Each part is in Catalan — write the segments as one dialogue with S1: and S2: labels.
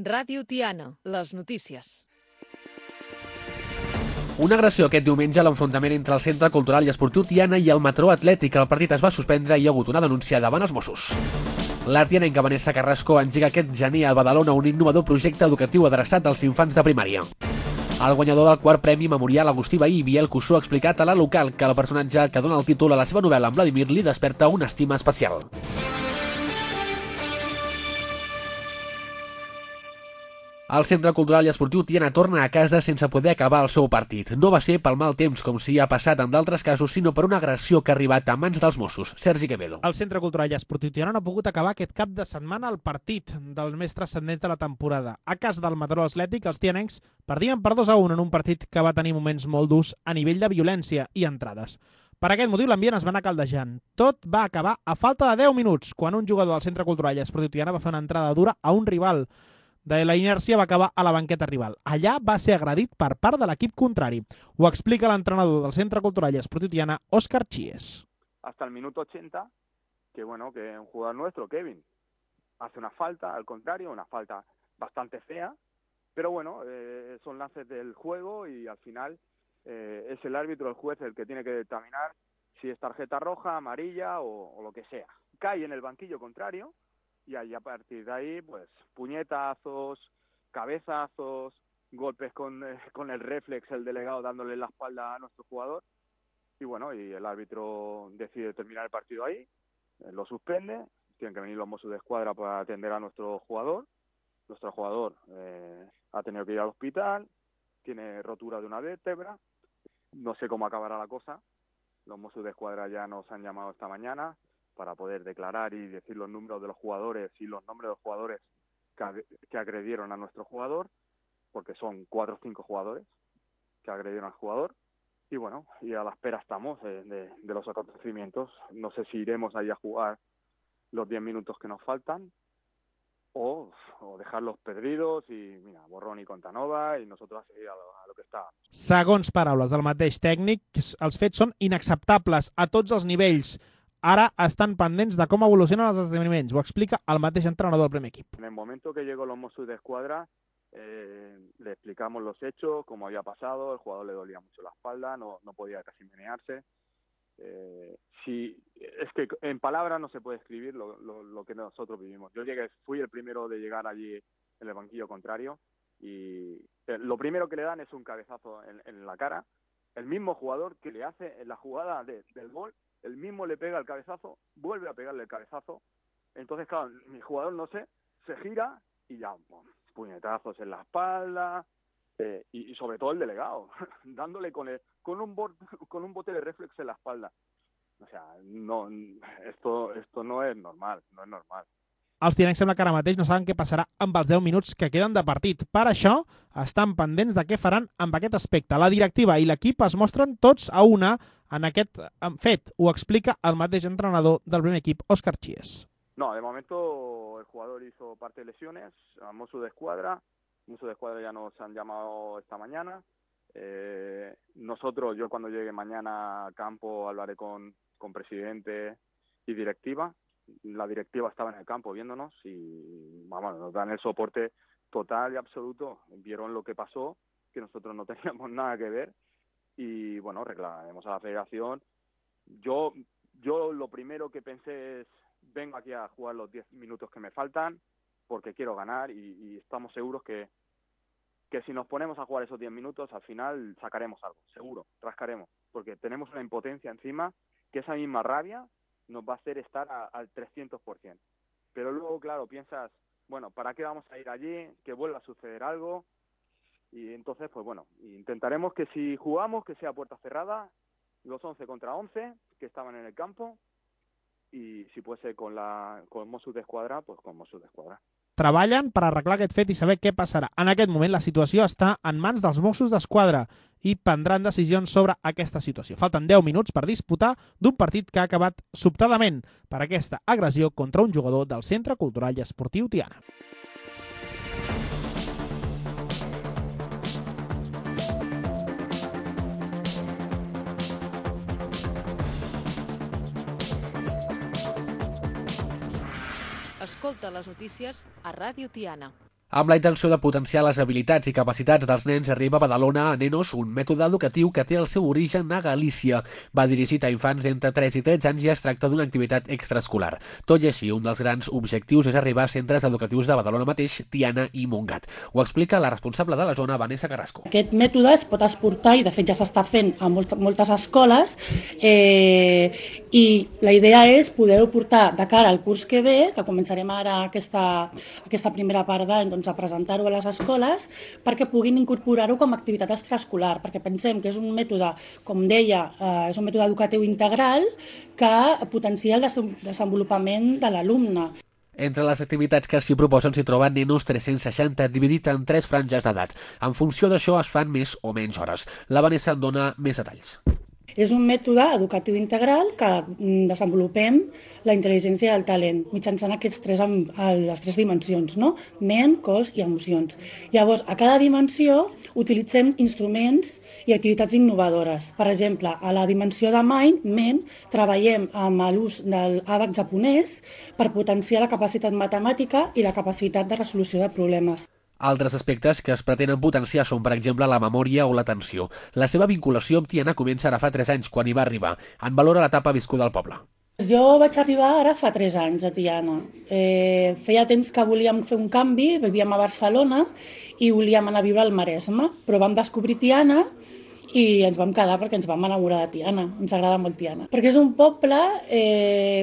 S1: Ràdio Tiana, les notícies.
S2: Una agressió aquest diumenge a l'enfrontament entre el Centre Cultural i Esportiu Tiana i el Mataró Atlètic. El partit es va suspendre i hi ha hagut una denúncia davant els Mossos. L'artianenca Vanessa Carrasco engega aquest gener a Badalona un innovador projecte educatiu adreçat als infants de primària. El guanyador del quart premi memorial Agustí Bahí, Biel Cussó, ha explicat a la local que el personatge que dona el títol a la seva novel·la en Vladimir li desperta una estima especial. El Centre Cultural i Esportiu Tiana torna a casa sense poder acabar el seu partit. No va ser pel mal temps, com s'hi ha passat en d'altres casos, sinó per una agressió que ha arribat a mans dels Mossos. Sergi Quevedo.
S3: El Centre Cultural i Esportiu Tiana no ha pogut acabar aquest cap de setmana el partit dels més transcendents de la temporada. A casa del Mataró Atlètic, els tianencs perdien per 2-1 en un partit que va tenir moments molt durs a nivell de violència i entrades. Per aquest motiu, l'ambient es va anar caldejant. Tot va acabar a falta de 10 minuts, quan un jugador del Centre Cultural i Esportiu Tiana va fer una entrada dura a un rival. De la inèrcia va acabar a la banqueta rival. Allà va ser agredit per part de l'equip contrari. Ho explica l'entrenador del Centre Cultural i Esportiu Tiana, Óscar Chies.
S4: Hasta el minuto 80, que un jugador nuestro, Kevin, hace una falta, al contrario, una falta bastante fea, pero son lances del juego y al final es el árbitro, el juez, el que tiene que determinar si es tarjeta roja, amarilla o lo que sea. Cae en el banquillo contrario, y ahí a partir de ahí, pues, puñetazos, cabezazos, golpes con el reflex, el delegado dándole la espalda a nuestro jugador. Y el árbitro decide terminar el partido ahí, lo suspende, tienen que venir los Mossos de Escuadra para atender a nuestro jugador. Nuestro jugador ha tenido que ir al hospital, tiene rotura de una vértebra, no sé cómo acabará la cosa. Los Mossos de Escuadra ya nos han llamado esta mañana para poder declarar y decir los números de los jugadores y los nombres de los jugadores que agredieron a nuestro jugador, porque son 4 o 5 jugadores que agredieron al jugador. Y a la espera estamos de los acontecimientos. No sé si iremos ahí a jugar los 10 minutos que nos faltan o dejarlos perdidos i, mira, borrón i compte nova i nosotros a seguir a lo que està.
S3: Segons paraules del mateix tècnic, els fets són inacceptables a tots els nivells. Ara estan pendents de com evolucionen els esdeveniments. Ho explica el mateix entrenador del primer equip.
S4: En el momento que llegó los Mossos de Escuadra, le explicamos los hechos, cómo había pasado, el jugador le dolía mucho la espalda, no podía casi menearse. Es que en palabras no se puede escribir lo que nosotros vivimos. Yo fui el primero de llegar allí en el banquillo contrario y lo primero que le dan es un cabezazo en la cara. El mismo jugador que le hace en la jugada del gol, el mismo le pega el cabezazo, vuelve a pegarle el cabezazo. Entonces, claro, mi jugador, se gira y ya, puñetazos en la espalda y sobre todo el delegado, dándole con un bote de reflex en la espalda. O sea, esto no es normal, no es normal.
S3: Els tianencs sembla que ara mateix no saben què passarà amb els 10 minuts que queden de partit. Per això, estan pendents de què faran amb aquest aspecte. La directiva i l'equip es mostren tots a una en aquest fet. Ho explica el mateix entrenador del primer equip, Óscar Chies.
S4: No, de momento el jugador hizo parte de lesiones, a Mossos de Escuadra. Mossos de Escuadra ya nos han llamado esta mañana. Yo cuando llegue mañana a campo hablaré con presidente y directiva. La directiva estaba en el campo viéndonos y nos dan el soporte total y absoluto. Vieron lo que pasó, que nosotros no teníamos nada que ver y reclamaremos a la federación. Yo lo primero que pensé es, vengo aquí a jugar los 10 minutos que me faltan porque quiero ganar y estamos seguros que si nos ponemos a jugar esos 10 minutos al final sacaremos algo, seguro, rascaremos, porque tenemos una impotencia encima que esa misma rabia nos va a hacer estar al 300%. Pero luego, claro, piensas, ¿para qué vamos a ir allí? Que vuelva a suceder algo. Y entonces, intentaremos que si jugamos, que sea puerta cerrada, los 11 contra 11 que estaban en el campo, y si puede ser con Mossos de Escuadra, pues con Mossos de Escuadra.
S3: Treballen per arreglar aquest fet i saber què passarà. En aquest moment la situació està en mans dels Mossos d'Esquadra i prendran decisions sobre aquesta situació. Falten 10 minuts per disputar d'un partit que ha acabat sobtadament per aquesta agressió contra un jugador del Centre Cultural i Esportiu Tiana.
S1: Escolta les notícies a Ràdio Tiana.
S2: Amb la intenció de potenciar les habilitats i capacitats dels nens, arriba a Badalona a Nenos, un mètode educatiu que té el seu origen a Galícia. Va dirigit a infants entre 3 i 13 anys i es tracta d'una activitat extraescolar. Tot i així, un dels grans objectius és arribar a centres educatius de Badalona mateix, Tiana i Montgat. Ho explica la responsable de la zona, Vanessa Carrasco.
S5: Aquest mètode es pot exportar i de fet ja s'està fent a moltes escoles i la idea és poder-ho portar de cara al curs que ve, que començarem ara aquesta primera part d'any, a presentar-ho a les escoles perquè puguin incorporar-ho com a activitat extraescolar, perquè pensem que és un mètode, com deia, és un mètode educatiu integral que potencia el desenvolupament de l'alumne.
S2: Entre les activitats que s'hi proposen s'hi troben Nenos 360, dividit en 3 franges d'edat. En funció d'això es fan més o menys hores. La Vanessa en dona més detalls.
S5: És un mètode educatiu integral que desenvolupem la intel·ligència i el talent mitjançant les 3 dimensions, no? Ment, cos i emocions. Llavors, a cada dimensió utilitzem instruments i activitats innovadores. Per exemple, a la dimensió de ment, treballem amb l'ús del àbac japonès per potenciar la capacitat matemàtica i la capacitat de resolució de problemes.
S2: Altres aspectes que es pretenen potenciar són, per exemple, la memòria o l'atenció. La seva vinculació amb Tiana comença ara fa 3 anys, quan hi va arribar. En valora l'etapa viscuda al poble.
S5: Jo vaig arribar ara fa 3 anys a Tiana. Feia temps que volíem fer un canvi, vivíem a Barcelona i volíem anar a viure al Maresme, però vam descobrir Tiana i ens vam quedar perquè ens vam enamorar de Tiana, ens agrada molt Tiana. Perquè és un poble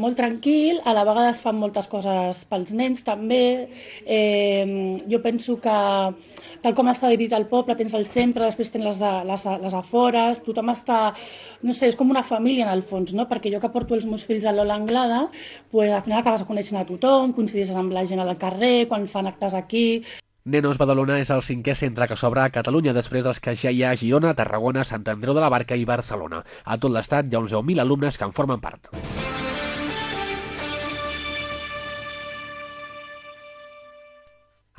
S5: molt tranquil, a la vegada es fan moltes coses pels nens també. Jo penso que tal com està dividit el poble, tens el centre, després tens les afores, tothom està, no sé, és com una família en el fons, no? Perquè jo que porto els meus fills a l'Ola Anglada, pues, al final acabes coneixent a tothom, coincideixes amb la gent al carrer, quan fan actes aquí.
S2: Nenos Badalona és el 5è centre que s'obre a Catalunya després dels que ja hi ha a Girona, Tarragona, Sant Andreu de la Barca i Barcelona. A tot l'estat hi ha uns 10.000 alumnes que en formen part.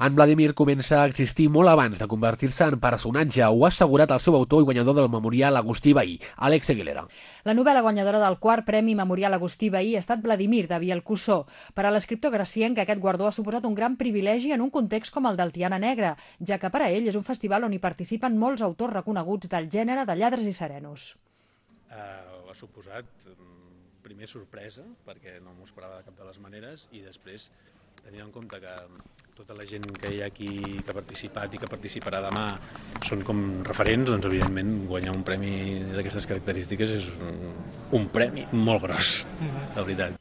S2: En Vladimir comença a existir molt abans de convertir-se en personatge. Ho ha assegurat el seu autor i guanyador del Memorial Agustí Bahí, Àlex Aguilera.
S1: La novel·la guanyadora del 4è Premi Memorial Agustí Bahí ha estat Vladimir, de Biel Cussó. Per a l'escriptor gracienc, aquest guardó ha suposat un gran privilegi en un context com el del Tiana Negra, ja que per a ell és un festival on hi participen molts autors reconeguts del gènere de lladres i serenos.
S6: Ha suposat, primer, sorpresa, perquè no m'ho esperava de cap de les maneres, i després tenint en compte que tota la gent que hi ha aquí que ha participat i que participarà demà són com referents, doncs evidentment guanyar un premi d'aquestes característiques és un premi molt gros, la veritat.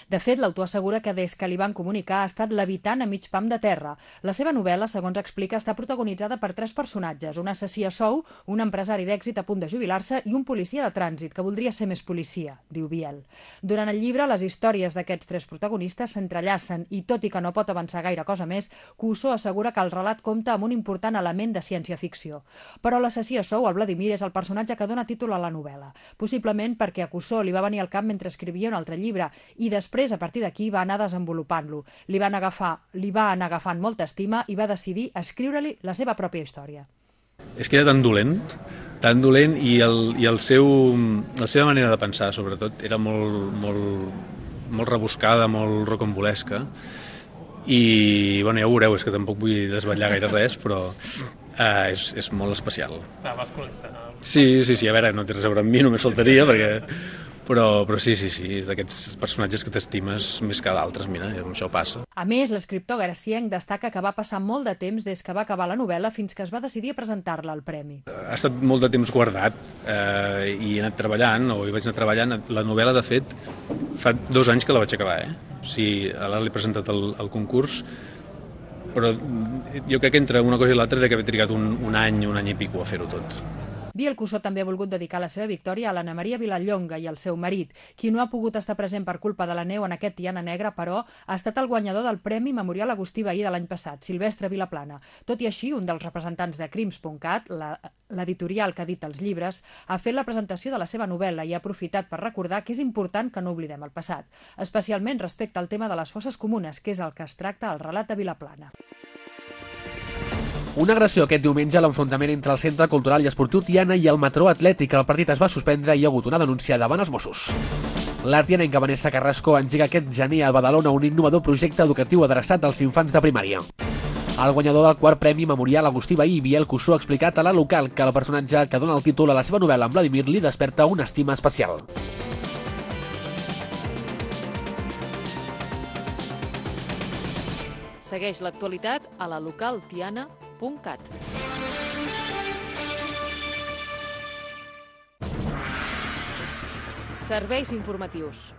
S1: De fet, l'autor assegura que des que li van comunicar ha estat l'habitant a mig pam de terra. La seva novel·la, segons explica, està protagonitzada per 3 personatges, un assassí a sou, un empresari d'èxit a punt de jubilar-se i un policia de trànsit que voldria ser més policia, diu Biel. Durant el llibre, les històries d'aquests 3 protagonistes s'entrellacen i, tot i que no pot avançar gaire cosa més, Cussó assegura que el relat compta amb un important element de ciència-ficció. Però l'assassí a sou, el Vladimir, és el personatge que dona títol a la novel·la, possiblement perquè a Cussó li va venir al cap mentre escrivia un altre llibre i després, a partir d'aquí, va anar desenvolupant-lo. Li va anar agafant molta estima i va decidir escriure-li la seva pròpia història.
S6: És que era tan dolent i la seva manera de pensar, sobretot, era molt rebuscada, molt rocambolesca. I, bueno, ja ho veureu, és que tampoc vull desvetllar gaire res, però és molt especial.
S7: Vas connectar.
S6: Sí, a veure, no té res a veure amb mi, només faltaria, però sí, és d'aquests personatges que t'estimes més que d'altres, mira, això passa.
S1: A més, l'escriptor gracienc destaca que va passar molt de temps des que va acabar la novel·la fins que es va decidir a presentar-la al premi.
S6: Ha estat molt de temps guardat i he anat treballant, o hi vaig anar treballant. La novel·la, de fet, fa 2 anys que la vaig acabar, O sigui, ara l'he presentat al concurs, però jo crec que entre una cosa i l'altra he d'haver trigat un any i pico a fer-ho tot.
S1: Biel Cussó també ha volgut dedicar la seva victòria a l'Anna Maria Vilallonga i al seu marit, qui no ha pogut estar present per culpa de la neu en aquest Tiana Negra, però ha estat el guanyador del Premi Memorial Agustí Bahí de l'any passat, Silvestre Vilaplana. Tot i així, un dels representants de Crims.cat, l'editorial que edita els llibres, ha fet la presentació de la seva novel·la i ha aprofitat per recordar que és important que no oblidem el passat, especialment respecte al tema de les fosses comunes, que és el que es tracta al relat de Vilaplana.
S2: Una agressió aquest diumenge a l'enfrontament entre el Centre Cultural i Esportiu Tiana i el Matró Atlètic. El partit es va suspendre i hi ha hagut una denúncia davant els Mossos. L'artianenca Vanessa Carrasco engega aquest gener a Badalona un innovador projecte educatiu adreçat als infants de primària. El guanyador del quart Premi Memorial Agustí Bahí, Biel Cussó, ha explicat a La Local que el personatge que dona el títol a la seva novel·la en Vladimir li desperta una estima especial.
S7: Segueix l'actualitat a lalocaltiana.cat. Serveis informatius.